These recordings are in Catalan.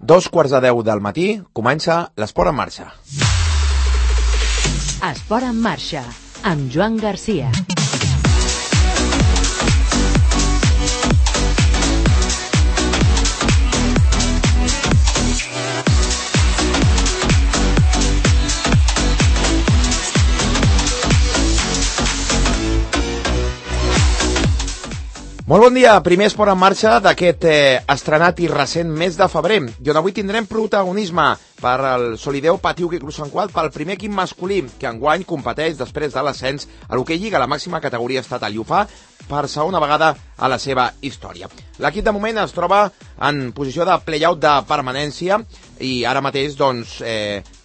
2:15 del matí, comença l'Esport en marxa. Esport en marxa, amb Joan Garcia. Molt bon dia, primer esport en marxa d'aquest estrenat i recent mes de febrer, i on avui tindrem protagonisme per el Solideo Patiuki Club Sant Cugat pel primer equip masculí que enguany competeix després de l'ascens a l'hoquei Lliga, la màxima categoria estatal, i ho fa per segona vegada a la seva història. L'equip de moment es troba en posició de play-out de permanència i ara mateix doncs,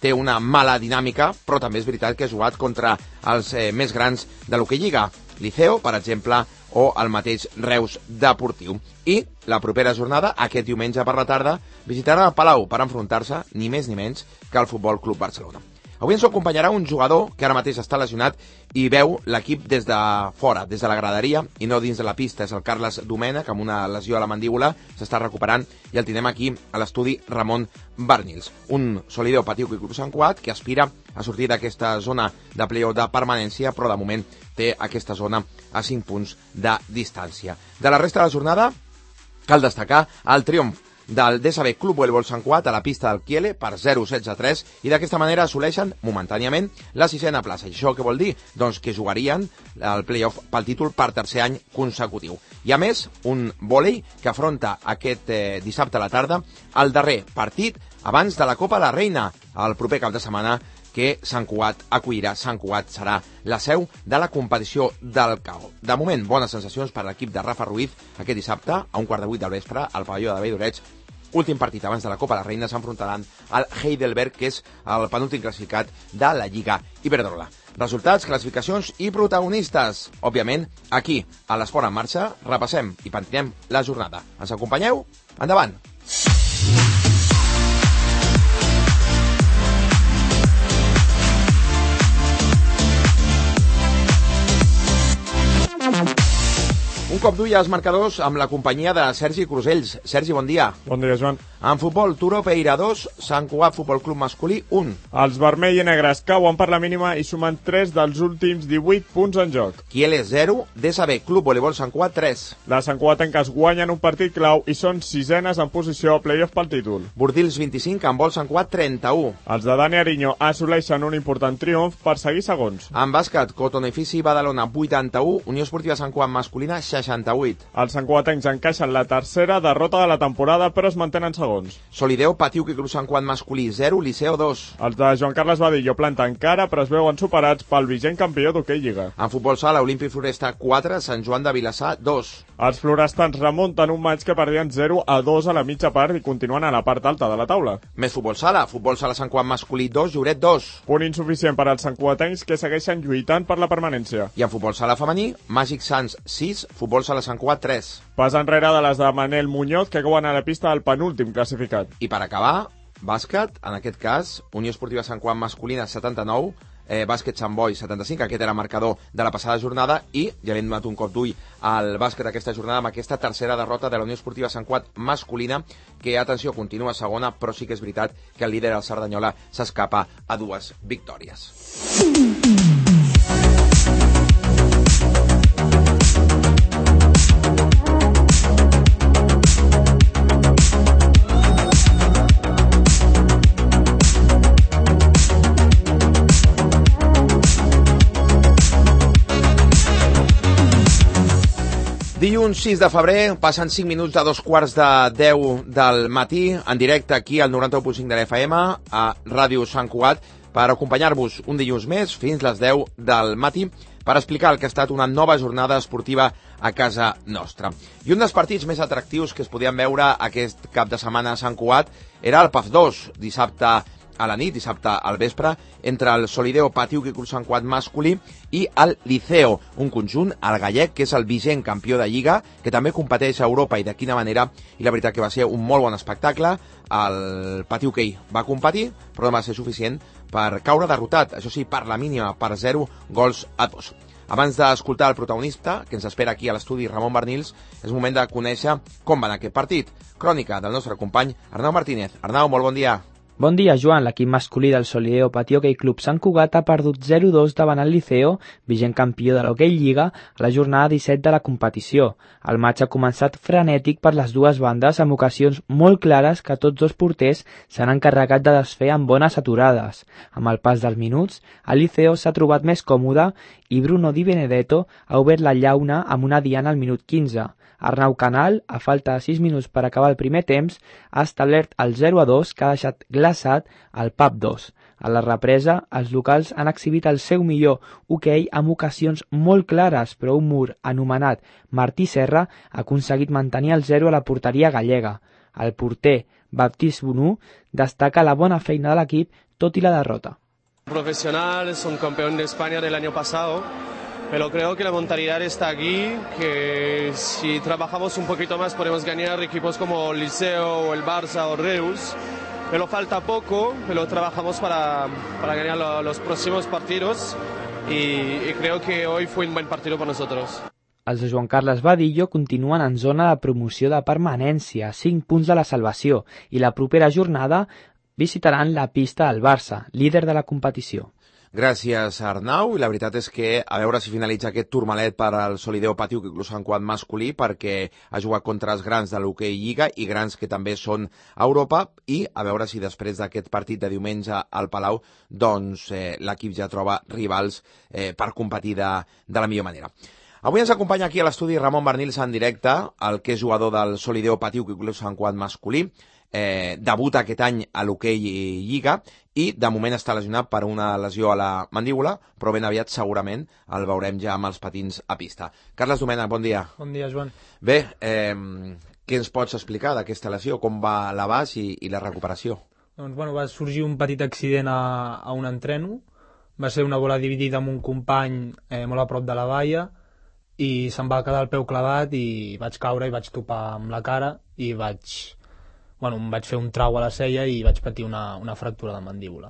té una mala dinàmica, però també és veritat que ha jugat contra els més grans de l'hoquei Lliga, Liceo, per exemple, o el mateix Reus Deportiu. I la propera jornada, aquest diumenge per la tarda, visitarà el Palau per enfrontar-se, ni més ni menys, que al Futbol Club Barcelona. Avui ens acompanyarà un jugador que ara mateix està lesionat i veu l'equip des de fora, des de la graderia, i no dins de la pista. És el Carles Domènech, amb una lesió a la mandíbula, s'està recuperant, i el tindrem aquí a l'estudi Ramon Barnils. Un Solideo Patiuki Club Sant Cugat que aspira a sortir d'aquesta zona de play-off de permanència, però de moment té aquesta zona a 5 punts de distància. De la resta de la jornada, cal destacar el triomf del DSB Club Voleibol Sant Cugat a la pista del Kiele per 0-16-3 i d'aquesta manera assoleixen momentàniament la 6a plaça. I això què vol dir? Doncs que jugarien el play-off pel títol per tercer any consecutiu. I a més, un vòlei que afronta aquest dissabte a la tarda el darrer partit abans de la Copa de la Reina, el proper cap de setmana, que Sant Cugat acollirà. Sant Cugat serà la seu de la competició del CAO. De moment, bones sensacions per a l'equip de Rafa Ruiz aquest dissabte a 7:15 del vespre al pavelló de Vall d'Oreig. Últim partit abans de la Copa de la Reina, s'enfrontaran al Heidelberg, que és el penúltim classificat de la Lliga Iberdrola. Resultats, classificacions i protagonistes. Òbviament, aquí, a l'Esport en marxa, repassem i pentinem la jornada. Ens acompanyeu? Endavant! Un cop d'ull als marcadors amb la companyia de Sergi Crusells. Sergi, bon dia. Bon dia, Joan. En futbol, Turó Peira 2, Sant Cugat Futbol Club masculí 1. Els vermell i negres cauen per la mínima i sumen 3 dels últims 18 punts en joc. Kiele 0, DSB Club Voleibol Sant Cugat 3. Les Sant Cugatenques guanyen un partit clau i són sisenes en posició a play-off pel títol. Bordils 25, Handbol Sant Cugat 31. Els de Dani Ariño assoleixen un important triomf per seguir segons. En bàsquet, Cotonefici Badalona 81, Unió Esportiva Sant Cugat masculina 68. Els Sant Cugatencs encaixen la tercera derrota de la temporada, però es mantenen segons. Solideo Patiuki Club Sant Cugat masculí 0, Liceo 2. Els de Joan Carles Badillo planten cara, però es veuen superats pel vigent campió d'hoquei Lliga. En futbol sala, Olímpic Floresta 4, Sant Joan de Vilassar 2. Els florestans remunten un maig que perdien 0-2 a la mitja part i continuen a la part alta de la taula. Més futbol sala Sant Cugat masculí 2, Lloret 2. Punt insuficient per als santcugatencs que segueixen lluitant per la permanència. I en futbol sala femení, Màgic Sants 6, futbol sala Sant Cugat 3. Pas enrere de les de Manel Muñoz, que cauen a la pista del penúltim classificat. I per acabar, bàsquet, en aquest cas, Unió Esportiva Sant Cugat masculina 79, bàsquet Sant Boi 75, aquest era el marcador de la passada jornada, i ja hem donat un cop d'ull al bàsquet aquesta jornada amb aquesta tercera derrota de la Unió Esportiva Sant Cugat masculina, que, atenció, continua segona, però sí que és veritat que el líder, el Cerdanyola, s'escapa a 2 victòries. Dilluns 6 de febrer, passen 5 minuts de 2:15 del matí, en directe aquí al 91.5 de l'FM, a Ràdio Sant Cugat, per acompanyar-vos un dilluns més fins les 10 del matí, per explicar el que ha estat una nova jornada esportiva a casa nostra. I un dels partits més atractius que es podien veure aquest cap de setmana a Sant Cugat era el PAF 2, dissabte a la nit, dissabte al vespre, entre el Solideo Patiuki Club Sant Cugat masculí i el Liceo, un conjunt, el gallec, que és el vigent campió de Lliga, que també competeix a Europa, i de quina manera, i la veritat que va ser un molt bon espectacle. El Patiuki va competir, però no va ser suficient per caure derrotat, això sí, per la mínima, per 0 gols a 2. Abans d'escoltar el protagonista, que ens espera aquí a l'estudi, Ramon Barnils, és moment de conèixer com va anar aquest partit. Crònica del nostre company Arnau Martínez. Arnau, molt bon dia. Bon dia, Joan. L'equip masculí del Solideo Patí Hockey Club Sant Cugat ha perdut 0-2 davant el Liceo, vigent campió de l'Hockey Lliga, a la jornada 17 de la competició. El matx ha començat frenètic per les dues bandes, amb ocasions molt clares que tots dos porters s'han encarregat de desfer amb bones aturades. Amb el pas dels minuts, el Liceo s'ha trobat més còmode i Bruno Di Benedetto ha obert la llauna amb una diana al minut 15. Arnau Canal, a falta de 6 minuts per acabar el primer temps, ha establert el 0-2 que ha deixat glaçat el PAP 2. A la represa, els locals han exhibit el seu millor hoquei amb ocasions molt clares, però un mur anomenat Martí Serra ha aconseguit mantenir el 0 a la porteria gallega. El porter Baptiste Bonú destaca la bona feina de l'equip, tot i la derrota. Profesional, son campeón de España del año pasado. Pero creo que la mentalidad está aquí, que si trabajamos un poquito más podemos ganar equipos como el Liceo o el Barça o Reus. Pero falta poco, pero trabajamos para ganar los próximos partidos y creo que hoy fue un buen partido para nosotros. Els de Joan Carles Badillo continuen en zona de promoció de permanència, 5 punts de la salvació, i la propera jornada visitaran la pista del Barça, líder de la competició. Gràcies, Arnau, i la veritat és que a veure si finalitza aquest turmalet per al Solideo Patí Hockey Club Sant Cugat masculí, perquè ha jugat contra els grans de l'Hockey Lliga i grans que també són a Europa, i a veure si després d'aquest partit de diumenge al Palau doncs l'equip ja troba rivals per competir de la millor manera. Avui ens acompanya aquí a l'estudi Ramon Barnils en directe, el que és jugador del Solideo Patí Hockey Club Sant Cugat masculí, debuta aquest any a l'Hockey Lliga i de moment està lesionat per una lesió a la mandíbula, però ben aviat segurament el veurem ja amb els patins a pista. Carles Domènech, bon dia. Bon dia, Joan. Bé, què ens pots explicar d'aquesta lesió? Com va l'abast i la recuperació? Doncs, va sorgir un petit accident a un entreno, va ser una bola dividida amb un company molt a prop de la valla i se'm va quedar el peu clavat i vaig caure i vaig topar amb la cara i em vaig fer un trau a la cella i vaig patir una fractura de mandíbula.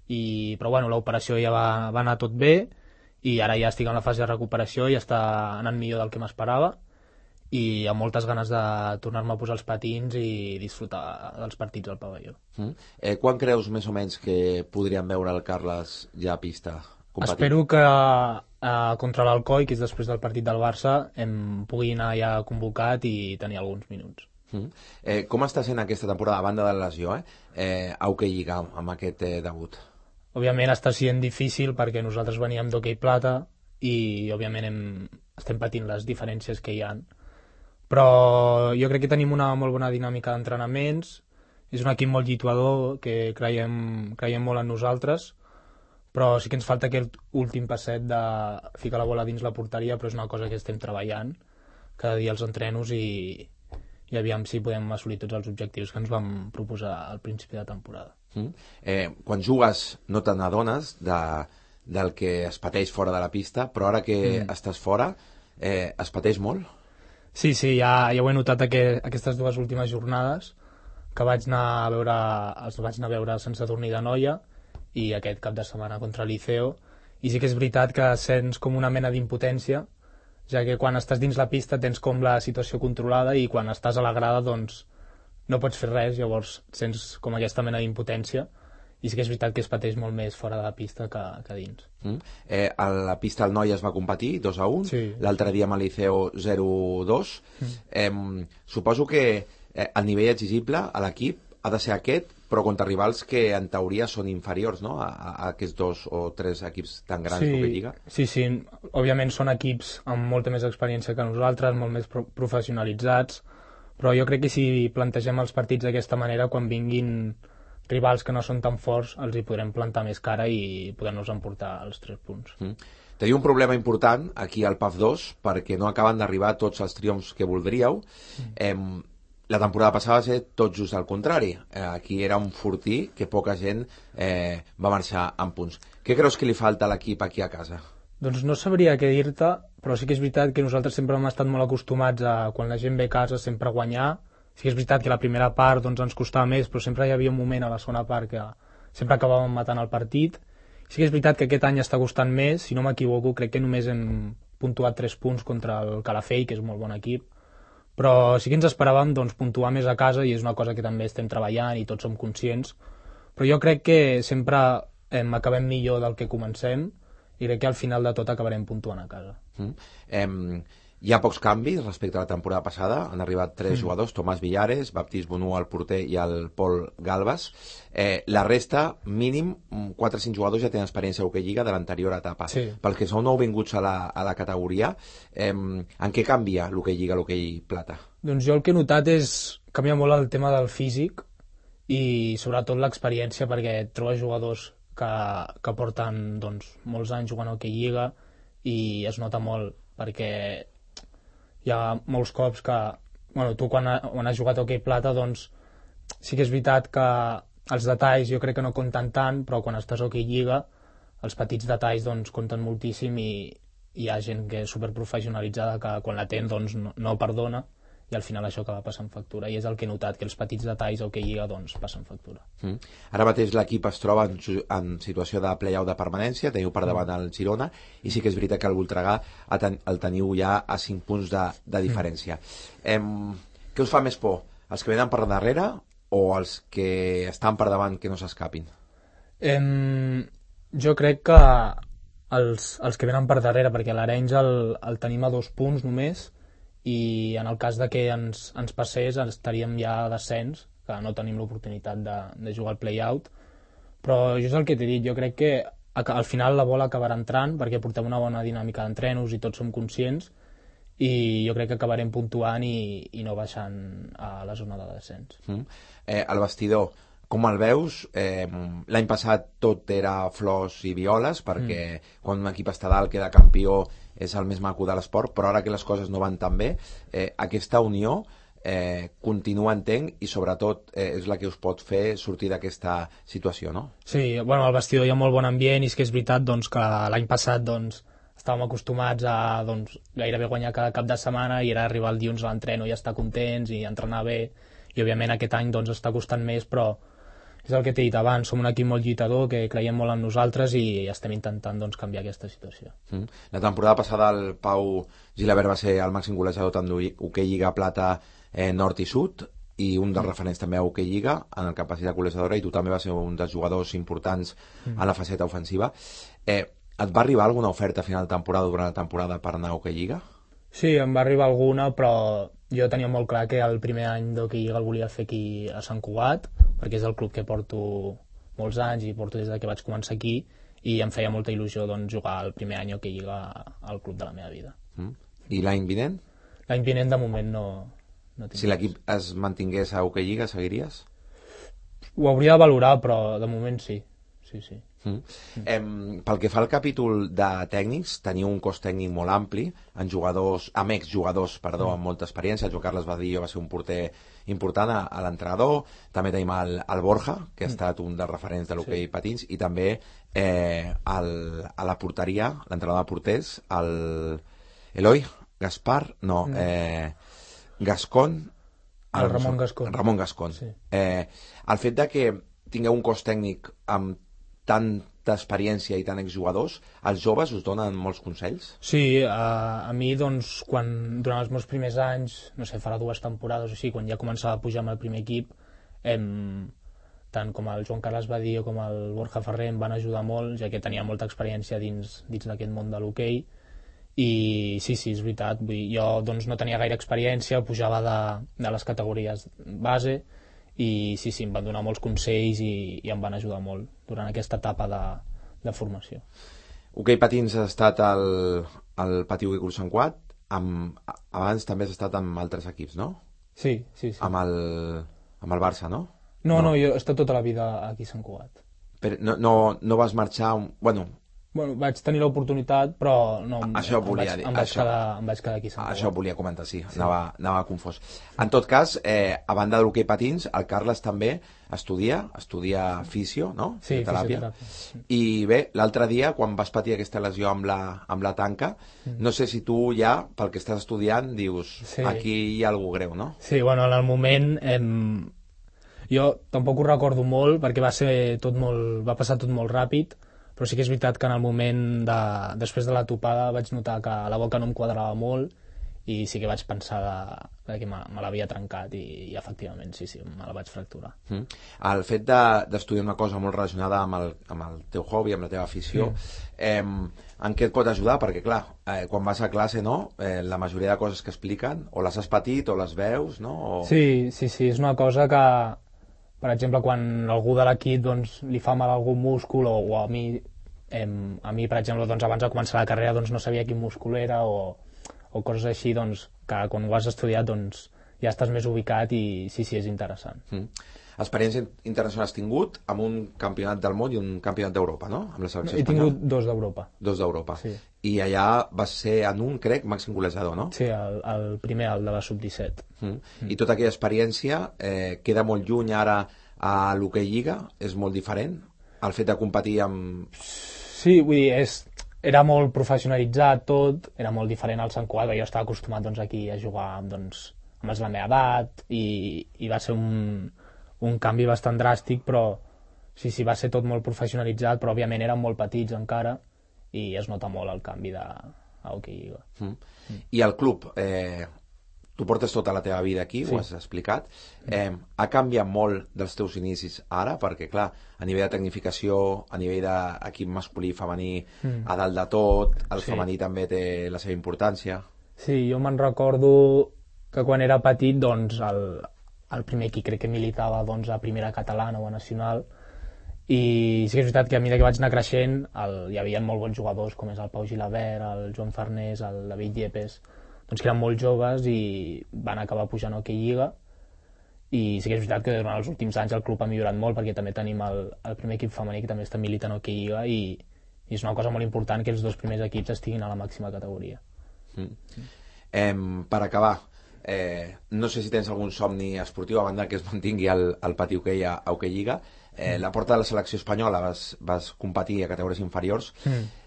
Però l'operació ja va anar tot bé i ara ja estic en la fase de recuperació i està anant millor del que m'esperava i amb moltes ganes de tornar-me a posar els patins i disfrutar dels partits al pavelló. Quan creus més o menys que podríem veure el Carles ja a pista competint? Espero que contra l'Alcoi, que és després del partit del Barça, em pugui anar ja convocat i tenir alguns minuts. Com està sent aquesta temporada, a banda de la lesió, a Hockey Lliga, amb aquest debut? Òbviament està sent difícil perquè nosaltres veníem d'Hockey Plata i òbviament estem patint les diferències que hi ha. Però jo crec que tenim una molt bona dinàmica d'entrenaments, és un equip molt lluitador, que creiem molt en nosaltres, però sí que ens falta aquest últim passet de ficar la bola dins la porteria, però és una cosa que estem treballant cada dia als entrenos i aviam si podem assolir tots els objectius que ens vam proposar al principi de temporada. Quan jugues no te n'adones del que es pateix fora de la pista, però ara que estàs fora, es pateix molt? Sí, ja ho he notat aquestes dues últimes jornades, que els vaig anar a veure sense dormir de noia, i aquest cap de setmana contra el Liceo, i sí que és veritat que sents com una mena d'impotència, ja que quan estàs dins la pista tens com la situació controlada i quan estàs a la grada doncs no pots fer res, llavors sents com aquesta mena d'impotència i sí que és veritat que es pateix molt més fora de la pista que dins. A la pista el Noia es va competir 2-1, sí. L'altre dia amb el Liceo 0-2. Suposo que el nivell exigible a l'equip ha de ser aquest, però contra rivals que en teoria són inferiors, no?, a aquests 2 o 3 equips tan grans que Lliga. Sí, òbviament són equips amb molta més experiència que nosaltres, molt més professionalitzats, però jo crec que si plantegem els partits d'aquesta manera, quan vinguin rivals que no són tan forts, els hi podrem plantar més cara i poder-nos emportar els 3 punts. Teniu un problema important aquí al PAF 2, perquè no acaben d'arribar tots els triomfs que voldríeu. La temporada passada va ser tot just al contrari. Aquí era un fortí que poca gent va marxar amb punts. Què creus que li falta a l'equip aquí a casa? Doncs no sabria què dir-te, però sí que és veritat que nosaltres sempre hem estat molt acostumats a, quan la gent ve a casa, sempre guanyar. Sí que és veritat que la primera part doncs, ens costava més, però sempre hi havia un moment a la segona part que sempre acabàvem matant el partit Sí que és veritat que aquest any està costant més, si no m'equivoco, crec que només hem puntuat 3 punts contra el Calafell, que és un molt bon equip, però sí que ens esperàvem doncs, puntuar més a casa i és una cosa que també estem treballant i tots som conscients, però jo crec que sempre acabem millor del que comencem i crec que al final de tot acabarem puntuant a casa. Hi ha pocs canvis respecte a la temporada passada. Han arribat 3 jugadors, Tomàs Villares, Baptist Bonú, el porter, i el Pol Galbas. La resta, mínim, 4 o 5 jugadors ja tenen experiència a l'Hockey Lliga de l'anterior etapa. Sí. Pels que sou nouvinguts a la categoria, en què canvia l'Hockey Lliga a l'Hockey Plata? Doncs jo el que he notat és canvia molt el tema del físic i sobretot l'experiència, perquè trobes jugadors que porten doncs, molts anys jugant a Hockey Lliga i es nota molt, perquè hi ha molts cops que tu quan has jugat a Hockey Plata doncs sí que és veritat que els detalls jo crec que no compten tant, però quan estàs a Hockey Lliga els petits detalls doncs compten moltíssim i hi ha gent que és superprofessionalitzada que quan la ten doncs no perdona i al final això acaba passant factura i és el que he notat, que els petits detalls a Hockey Lliga doncs passen factura. Ara mateix l'equip es troba en situació de play-out de permanència, teniu per davant el Girona i sí que és veritat que el Voltregà el teniu ja a 5 punts de diferència. Què us fa més por? Els que venen per darrere o els que estan per davant que no s'escapin? Jo crec que els que venen per darrere, perquè l'Arenys el tenim a 2 punts només i en el cas de que ens passés estaríem ja a descens, que no tenim l'oportunitat de jugar al play-out, però jo és el que t'he dit, jo crec que al final la bola acabarà entrant perquè portem una bona dinàmica d'entrenos i tots som conscients i jo crec que acabarem puntuant i no baixant a la zona de descens. El vestidor, com el veus? L'any passat tot era flors i violes perquè quan un equip està dalt queda campió és el més maco de l'esport, però ara que les coses no van tan bé, aquesta unió continua, entenc, i sobretot és la que us pot fer sortir d'aquesta situació, no? Sí, al vestidor hi ha molt bon ambient i és que és veritat doncs, que l'any passat doncs, estàvem acostumats a gairebé guanyar cada cap de setmana i era arribar el dilluns a l'entreno i estar contents i entrenar bé i òbviament aquest any doncs, està costant més, però és el que t'he dit abans, som un equip molt lluitador que creiem molt en nosaltres i estem intentant doncs, canviar aquesta situació. La temporada passada el Pau Gilabert va ser el màxim golejador tant d'Hockey Lliga Plata Nord i Sud i un dels referents també a Hockey Lliga en el capacitat golejadora i tu també vas ser un dels jugadors importants en la faceta ofensiva. Et va arribar alguna oferta a final de temporada durant la temporada per anar a Hockey Lliga? Sí, em va arribar alguna, però jo tenia molt clar que el primer any d'Hockey Lliga el volia fer aquí a Sant Cugat, perquè és el club que porto molts anys i porto des que vaig començar aquí i em feia molta il·lusió doncs, jugar el primer any Hockey Lliga al club de la meva vida. I l'any vinent? L'any vinent de moment no tinc. Si l'equip es mantingués a Hockey Lliga, seguiries? Ho hauria de valorar, però de moment sí. Sí. Pel que fa al capítol de tècnics, teniu un cos tècnic molt ampli, amb exjugadors, amb molta experiència. El Joan Carles Badillo va ser un porter important a l'entrenador, també tenim el Borja, que ha estat un dels referents de l'hoquei patins, i també a la porteria, l'entrenador de porters, Eloi Gascon, el Ramon Gascon. Sí. El fet de que tingueu un cos tècnic amb tanta experiència i tant exjugadors, els joves us donen molts consells? Sí, a mi doncs durant els meus primers anys, no sé, farà 2 temporades o així, quan ja començava a pujar amb el primer equip, tant com el Joan Carles Badillo com el Borja Ferrer em van ajudar molt, ja que tenia molta experiència dins d'aquest món de l'hoquei. I sí, és veritat, jo doncs, no tenia gaire experiència, pujava de les categories base i sí, em van donar molts consells i em van ajudar molt durant aquesta etapa de formació. Hoquei patins has estat al Patí Hoquei Club Sant Cugat, abans també has estat amb altres equips, no? Sí. Amb el Barça, no? No, jo he estat tota la vida aquí a Sant Cugat. Però no vas marxar... Bueno, vaig tenir l'oportunitat, però no, em vaig quedar aquí a Sant Cugat. Això volia comentar, sí. Anava confós. En tot cas, a banda de l'hoquei patins, el Carles també estudia fisio, no? Sí, fisioteràpia. I bé, l'altre dia, quan vas patir aquesta lesió amb la tanca, no sé si tu ja, pel que estàs estudiant, dius, aquí hi ha alguna greu, no? Sí, en el moment... Jo tampoc ho recordo molt, perquè va passar tot molt ràpid, però sí que és veritat que en el moment després de la topada vaig notar que la boca no em quadrava molt i sí que vaig pensar que me l'havia trencat i efectivament sí, me la vaig fracturar. El fet d'estudiar una cosa molt relacionada amb el teu hobby, amb la teva afició, en què et pot ajudar? Perquè clar, quan vas a classe, no? La majoria de coses que expliquen o les has patit o les veus, no? Sí, és una cosa que, per exemple, quan algú de l'equip doncs, li fa mal algun múscul o a mi, per exemple, doncs, abans de començar la carrera doncs, no sabia quin múscul era o coses així, doncs, que quan ho has estudiat doncs, ja estàs més ubicat i sí, és interessant. Experiència internacional has tingut amb un campionat del món i un campionat d'Europa, no? Amb la selecció espanyola. He tingut 2 d'Europa. 2 d'Europa. Sí. I allà vas ser en un, crec, màxim golejador, no? Sí, el primer, el de la sub-17. I tota aquella experiència queda molt lluny ara a l'hoquei lliga? És molt diferent? El fet de competir amb... Sí, vull dir, era molt professionalitzat tot, era molt diferent al Sant Cugat, jo estava acostumat doncs, aquí a jugar amb els de la meva edat i va ser un canvi bastant dràstic, però sí, va ser tot molt professionalitzat, però òbviament érem molt petits encara i es nota molt el canvi a hoquei lliga. I el club, tu portes tota la teva vida aquí, ho has explicat, ha canviat molt dels teus inicis ara, perquè clar, a nivell de tecnificació, a nivell d'equip masculí i femení, a dalt de tot, el femení també té la seva importància. Sí, jo me'n recordo que quan era petit, doncs, el primer equip crec que militava doncs, a primera catalana o a nacional, i sí que és veritat que a mesura que vaig anar creixent hi havia molt bons jugadors com és el Pau Gilabert, el Joan Farnés, el David Yepes, doncs que eren molt joves i van acabar pujant a hoquei lliga, i sí que és veritat que durant els últims anys el club ha millorat molt perquè també tenim el primer equip femení que també està militant a hoquei lliga i és una cosa molt important que els 2 primers equips estiguin a la màxima categoria. Per acabar, no sé si tens algun somni esportiu a banda que es mantingui el pati hoquei a hoquei lliga. La porta de la selecció espanyola vas competir a categories inferiors.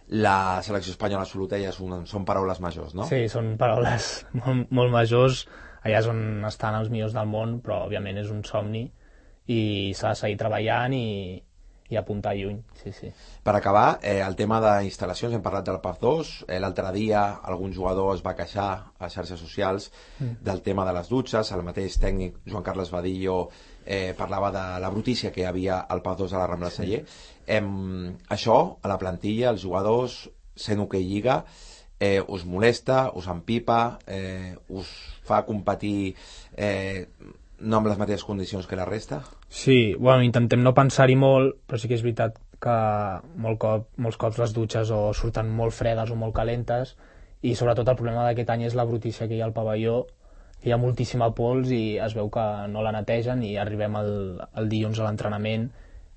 La selecció espanyola absoluta ja són paraules majors, no? Sí, són paraules molt majors, allà és on estan els millors del món, però òbviament és un somni i s'ha de seguir treballant i apuntar lluny, sí. Per acabar, el tema d'instal·lacions, hem parlat del PAF 2, l'altre dia algun jugador es va queixar a xarxes socials del tema de les dutxes, el mateix tècnic Joan Carles Badillo parlava de la brutícia que hi havia al PAF 2 a la Rambla Celler. Això, a la plantilla, els jugadors, sent hoquei lliga, us molesta, us empipa, us fa competir no amb les mateixes condicions que la resta? Sí, bueno, intentem no pensar-hi molt, però sí que és veritat que molts cops les dutxes o surten molt fredes o molt calentes i sobretot el problema d'aquest any és la brutícia que hi ha al pavelló, que hi ha moltíssima pols i es veu que no la netegen i arribem el dilluns a l'entrenament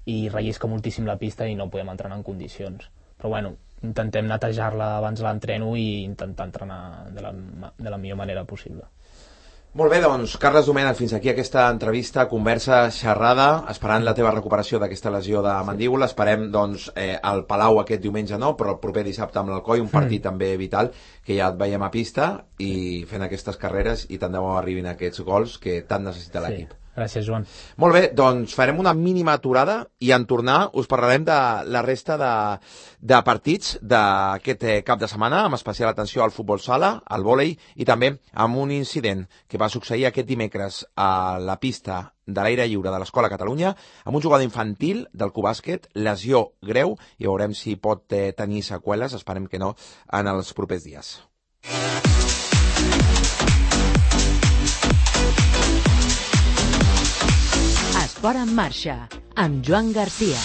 i rellisca moltíssim la pista i no podem entrenar en condicions. Però bueno, intentem netejar-la abans de l'entreno i intentar entrenar de la millor manera possible. Molt bé, doncs, Carles Domènech, fins aquí aquesta entrevista, conversa, xerrada, esperant la teva recuperació d'aquesta lesió de mandíbula. Esperem, doncs, al Palau aquest diumenge no, però el proper dissabte amb l'Alcoi, un partit també vital, que ja et veiem a pista i fent aquestes carreres i tant de bo arribin aquests gols que tant necessita l'equip. Gràcies, Joan. Molt bé, doncs farem una mínima aturada i en tornar us parlarem de la resta de partits d'aquest cap de setmana, amb especial atenció al futbol sala, al vòlei i també amb un incident que va succeir aquest dimecres a la pista de l'aire lliure de l'Escola Catalunya amb un jugador infantil del Cubàsquet, lesió greu, i veurem si pot tenir seqüeles, esperem que no, en els propers dies. Esport en marxa, amb Joan Garcia.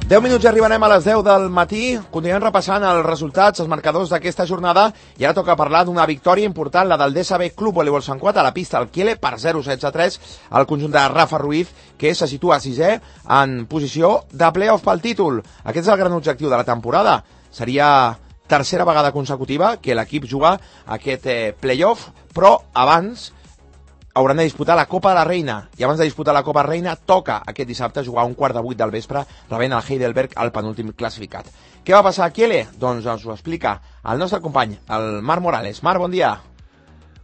10 minuts i arribarem a les 10 del matí. Continuem repassant els resultats, els marcadors d'aquesta jornada, i ara toca parlar d'una victòria important, la del DSB Club Voleibol Sant Cugat a la pista del Kiele per 0-16-3 al conjunt de Rafa Ruiz, que se situa sisè en posició de play-off pel títol. Aquest és el gran objectiu de la temporada. Seria tercera vegada consecutiva que l'equip juga aquest play-off, però abans hauran de disputar la Copa de la Reina, i abans de disputar la Copa de la Reina toca aquest dissabte jugar a 1:15 del vespre rebent el Heidelberg, el penúltim classificat. Què va passar a Kiele? Doncs ens ho explica el nostre company, el Marc Morales. Marc, bon dia.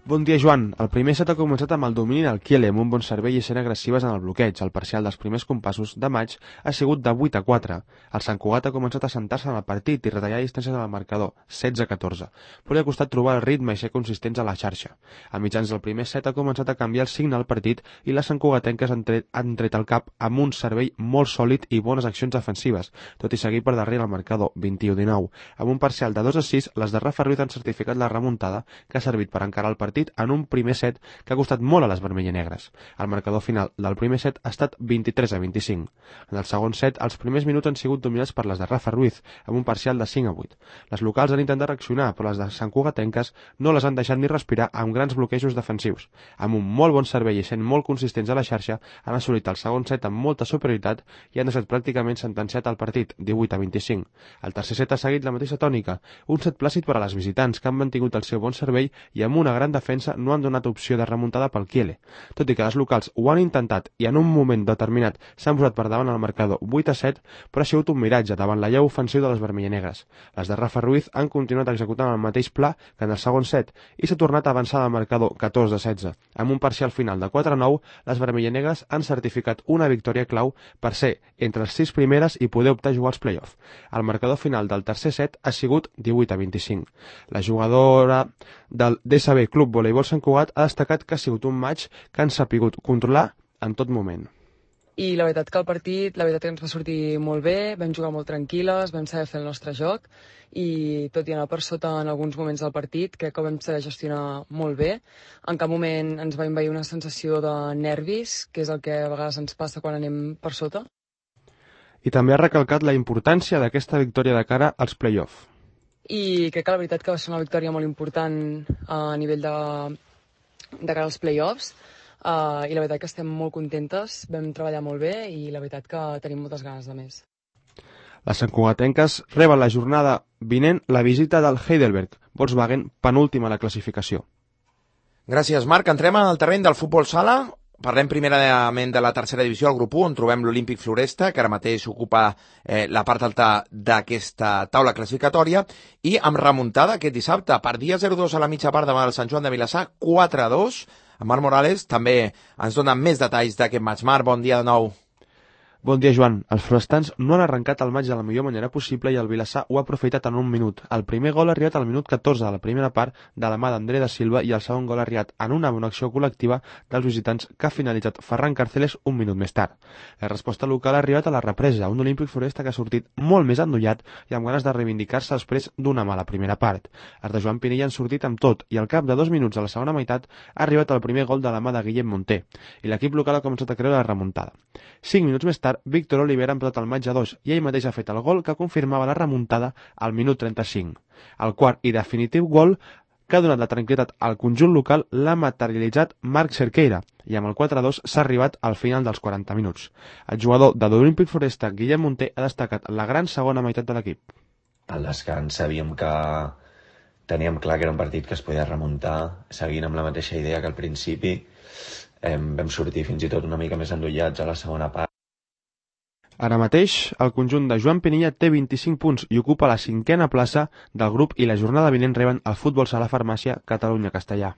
Bon dia, Joan. El primer set ha començat amb el domini del Kiele, amb un bon servei i sent agressives en el bloqueig. El parcial dels primers compassos de maig ha sigut de 8-4. El Sant Cugat ha començat a sentar-se en el partit i retallar distàncies en el marcador, 16-14. Però li ha costat trobar el ritme i ser consistents a la xarxa. A mitjans del primer set ha començat a canviar el signe al partit i les santcugatenques han tret el cap amb un servei molt sòlid i bones accions defensives, tot i seguir per darrere el marcador, 21-19. Amb un parcial de 2-6, les de Rafa Ruiz han certificat la remuntada que ha servit per encarar el partit en un primer set que ha costat molt a les vermell-i-negres. El marcador final del primer set ha estat 23-25. En el segon set, els primers minuts han sigut dominats per les de Rafa Ruiz, amb un parcial de 5-8. Les locals han intentat reaccionar, però les de santcugatenques no les han deixat ni respirar amb grans bloquejos defensius. Amb un molt bon servei i sent molt consistents a la xarxa, han assolit el segon set amb molta superioritat i han deixat pràcticament sentenciat el partit, 18-25. El tercer set ha seguit la mateixa tònica, un set plàcid per a les visitants, que han mantingut el seu bon servei i amb una gran defensa no han donat opció de remuntada pel Kiele. Tot i que les locals ho han intentat i en un moment determinat s'han posat per davant el marcador 8-7, però ha sigut un miratge davant la llau ofensiu de les vermell-i-negres. Les de Rafa Ruiz han continuat executant el mateix pla que en el segon set i s'ha tornat a avançar el marcador 14-16. Amb un parcial final de 4-9, les vermell-i-negres han certificat una victòria clau per ser entre les 6 primeres i poder optar a jugar als play-off. El marcador final del tercer set ha sigut 18-25. La jugadora del DSB Club Voleibol Sant Cugat ha destacat que ha sigut un maig que han sapigut controlar en tot moment. I la veritat que el partit, la veritat que ens va sortir molt bé, vam jugar molt tranquil·les, vam saber fer el nostre joc i tot i anar per sota en alguns moments del partit, crec que ho vam saber gestionar molt bé. En cap moment ens va envair una sensació de nervis, que és el que a vegades ens passa quan anem per sota. I també ha recalcat la importància d'aquesta victòria de cara als play-off. I crec que la veritat que va ser una victòria molt important a nivell de cara als play-offs i la veritat que estem molt contentes, vam treballar molt bé i la veritat que tenim moltes ganes de més. Les santcugatenques reben la jornada vinent la visita del Heidelberg, Volkswagen, penúltima a la classificació. Gràcies, Marc. Entrem en el terreny del futbol sala. Parlem primerament de la tercera divisió, el grup 1, on trobem l'Olímpic Floresta, que ara mateix ocupa la part alta d'aquesta taula classificatòria, i amb remuntada aquest dissabte, perdia 0-2 a la mitja part davant el Sant Joan de Vilassar, 4-2. Marc Morales també ens dona més detalls d'aquest match. Marc, bon dia de nou. Bon dia, Joan. Els forestans no han arrencat el maig de la millor manera possible i el Vilassar ho ha aprofitat en un minut. El primer gol ha arribat al minut 14 de la primera part de la mà d'André da Silva i el segon gol ha arribat en una bona acció col·lectiva dels visitants que ha finalitzat Ferran Carceles un minut més tard. La resposta local ha arribat a la represa, un Olímpic Floresta que ha sortit molt més endollat i amb ganes de reivindicar-se després d'una mala primera part. Els de Joan Pinilla han sortit amb tot i al cap de 2 minuts de la segona meitat ha arribat el primer gol de la mà de Guillem Monter i l'equip local ha començat a creure la remuntada. 5 minuts més tard, Víctor Olivera ha empatat el maig a 2 i ell mateix ha fet el gol que confirmava la remuntada al minut 35. El quart i definitiu gol que ha donat la tranquil·litat al conjunt local l'ha materialitzat Marc Cerqueira i amb el 4-2 s'ha arribat al final dels 40 minuts. El jugador de l'Olímpic Floresta, Guillem Monter, ha destacat la gran segona meitat de l'equip. Al descans sabíem que teníem clar que era un partit que es podia remuntar, seguint amb la mateixa idea que al principi. Vam sortir fins i tot una mica més endollats a la segona part. Ara mateix, el conjunt de Joan Pinilla té 25 punts i ocupa la 5a plaça del grup i la jornada vinent reben el Futbol Sala Farmàcia Catalunya-Castellà.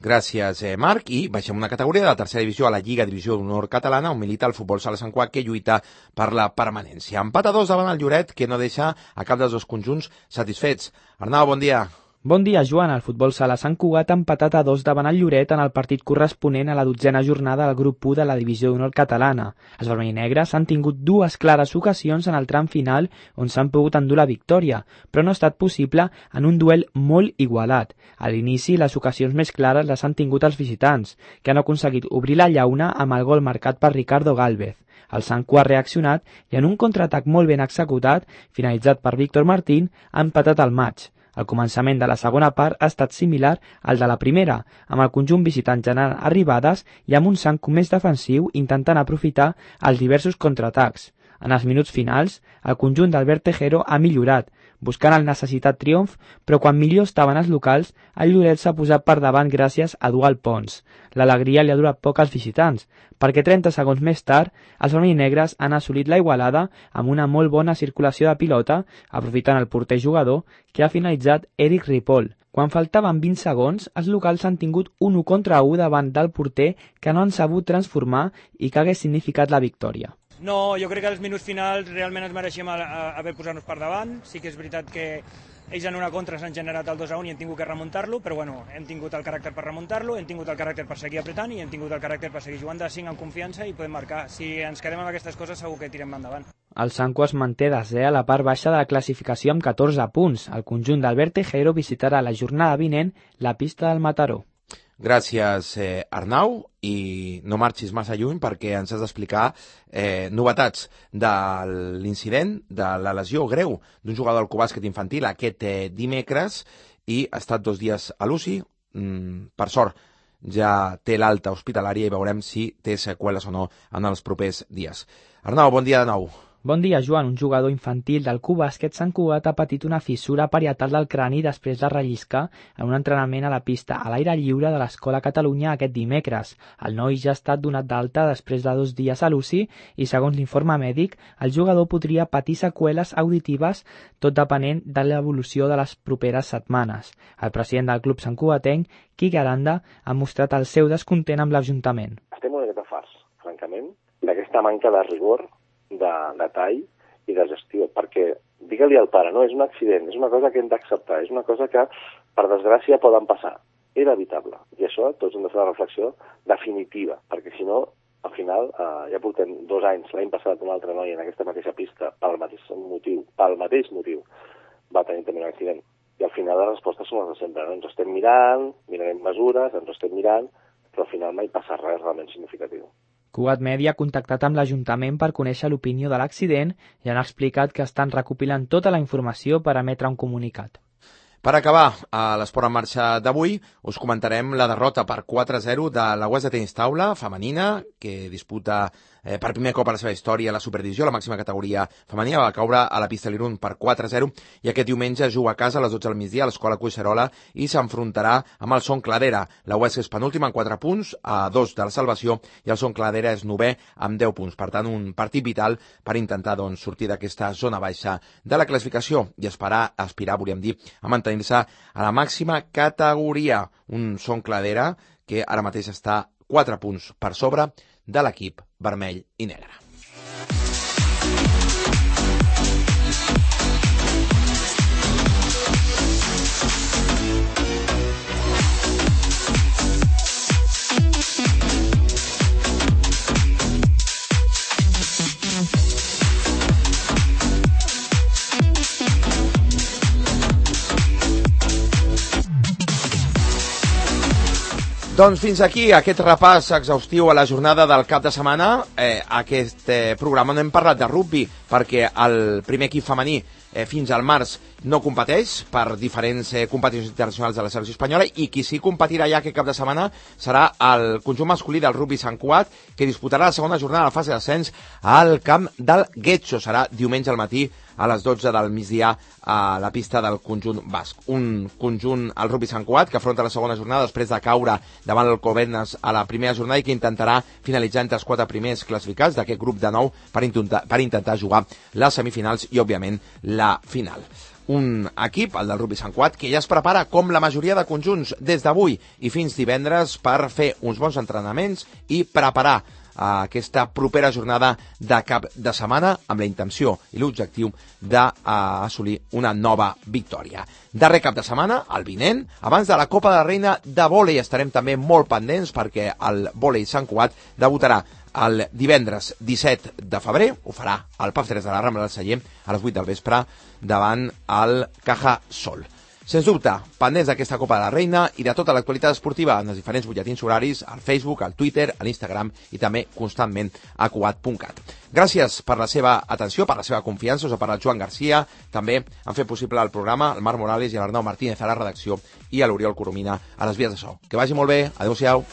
Gràcies, Marc. I baixem una categoria de la tercera divisió a la Lliga Divisió d'Honor Catalana, on milita el Futbol Sala Sant Cugat, que lluita per la permanència. Empat a 2 davant el Lloret, que no deixa a cap dels dos conjunts satisfets. Arnau, bon dia. Bon dia, Joan. El futbol sala Sant Cugat ha empatat a 2 davant el Lloret en el partit corresponent a la 12a jornada del grup 1 de la divisió d'honor catalana. Els vermell-negres han tingut 2 clares ocasions en el tram final on s'han pogut endur la victòria, però no ha estat possible en un duel molt igualat. A l'inici, les ocasions més clares les han tingut els visitants, que han aconseguit obrir la llauna amb el gol marcat per Ricardo Gálvez. El Sant Cugat ha reaccionat i en un contraatac molt ben executat, finalitzat per Víctor Martín, ha empatat el maig. El començament de la segona part ha estat similar al de la primera, amb el conjunt visitant generant arribades i amb un Sant Cugat més defensiu intentant aprofitar els diversos contraatacs. En els minuts finals, el conjunt d'Albert Tejero ha millorat, buscant el necessitat triomf, però quan millor estaven els locals, el Lloret s'ha posat per davant gràcies a Dual Pons. L'alegria li ha durat poc als visitants, perquè 30 segons més tard, els vermell-negres han assolit la igualada amb una molt bona circulació de pilota, aprofitant el porter jugador, que ha finalitzat Eric Ripoll. Quan faltaven 20 segons, els locals han tingut un 1 contra 1 davant del porter que no han sabut transformar i que hagués significat la victòria. No, jo crec que als minuts finals realment ens mereixíem haver posat-nos per davant. Sí que és veritat que ells en una contra s'han generat el 2-1 i hem tingut que remuntar-lo, però bueno, hem tingut el caràcter per remuntar-lo, hem tingut el caràcter per seguir apretant i hem tingut el caràcter per seguir jugant de 5 amb confiança i podem marcar. Si ens quedem amb aquestes coses segur que tirem endavant. El Sant Cugat es manté desè a la part baixa de la classificació amb 14 punts. El conjunt d'Albert Tejero visitarà la jornada vinent la pista del Mataró. Gràcies, Arnau, i no marxis massa lluny perquè ens has d'explicar novetats de l'incident, de la lesió greu d'un jugador del Cubàsquet infantil aquest dimecres i ha estat 2 dies a l'UCI. Per sort, ja té l'alta hospitalària i veurem si té seqüeles o no en els propers dies. Arnau, bon dia de nou. Bon dia, Joan. Un jugador infantil del Cubàsquet Sant Cugat ha patit una fissura parietal del crani després de relliscar en un entrenament a la pista a l'aire lliure de l'Escola Catalunya aquest dimecres. El noi ja ha estat donat d'alta després de 2 dies a l'UCI i, segons l'informe mèdic, el jugador podria patir seqüeles auditives, tot depenent de l'evolució de les properes setmanes. El president del club santcugatenc, Quique Aranda, ha mostrat el seu descontent amb l'Ajuntament. Estem una miqueta farts, francament, d'aquesta manca de rigor, de tall i de gestió, perquè digue-li al pare, no, és un accident, és una cosa que hem d'acceptar, és una cosa que, per desgràcia, poden passar. Era evitable. I això tots hem de fer una reflexió definitiva, perquè si no, al final, ja portem 2 anys, l'any passat un altre noi en aquesta mateixa pista, pel mateix motiu, va tenir també un accident. I al final les respostes són les de sempre, no? Ens estem mirant, mirarem mesures, ens estem mirant, però al final mai passa res realment significatiu. Cugat Media ha contactat amb l'Ajuntament per conèixer l'opinió de l'accident i han explicat que estan recopilant tota la informació per emetre un comunicat. Per acabar, a l'Esport en Marxa d'avui us comentarem la derrota per 4-0 de la UES de tenis taula femenina, que disputa per primer cop a la seva història la Superdivisió, la màxima categoria femenina, va caure a la pista l'Irun per 4-0 i aquest diumenge juga a casa a les 12 del migdia a l'Escola Collserola i s'enfrontarà amb el Son Cladera. La UES és penúltima amb 4 punts, a 2 de la salvació, i el Son Cladera és 9è amb 10 punts. Per tant, un partit vital per intentar sortir d'aquesta zona baixa de la classificació i aspirar, volíem dir, a mantenir-se a la màxima categoria. Un Son Cladera que ara mateix està 4 punts per sobre de l'equip vermell i negre. Doncs fins aquí aquest repàs exhaustiu a la jornada del cap de setmana. Aquest programa no hem parlat de rugbi perquè el primer equip femení fins al març no competeix per diferents competicions internacionals de la selecció espanyola i qui sí competirà ja aquest cap de setmana serà el conjunt masculí del rugbi Sant Cugat, que disputarà la segona jornada de la fase d'ascens al camp del Getxo. Serà diumenge al matí a les 12 del migdia a la pista del conjunt basc. Un conjunt, el rugbi Sant Cugat, que afronta la segona jornada després de caure davant l'Alcobendas a la primera jornada i que intentarà finalitzar entre els 4 primers classificats d'aquest grup de 9 per intentar jugar les semifinals i, òbviament, la final. Un equip, el del rugbi Sant Cugat, que ja es prepara com la majoria de conjunts des d'avui i fins divendres per fer uns bons entrenaments i preparar aquesta propera jornada de cap de setmana amb la intenció i l'objectiu d'assolir una nova victòria. Darrer cap de setmana, el vinent, abans de la Copa de la Reina de vòlei. Estarem també molt pendents perquè el vòlei Sant Cugat debutarà el divendres 17 de febrer, ho farà al PAF 3 de la Rambla del Celler a les 8 del vespre davant el Caja Sol. Sens dubte, pendents d'aquesta Copa de la Reina i de tota l'actualitat esportiva en els diferents butlletins horaris, al Facebook, al Twitter, a l'Instagram i també constantment a cugat.cat. Gràcies per la seva atenció, per la seva confiança, us ha parlat Joan Garcia, també han fet possible el programa el Marc Morales i l'Arnau Martínez a la redacció i a l'Oriol Coromina a les vies de so. Que vagi molt bé, adeu-siau.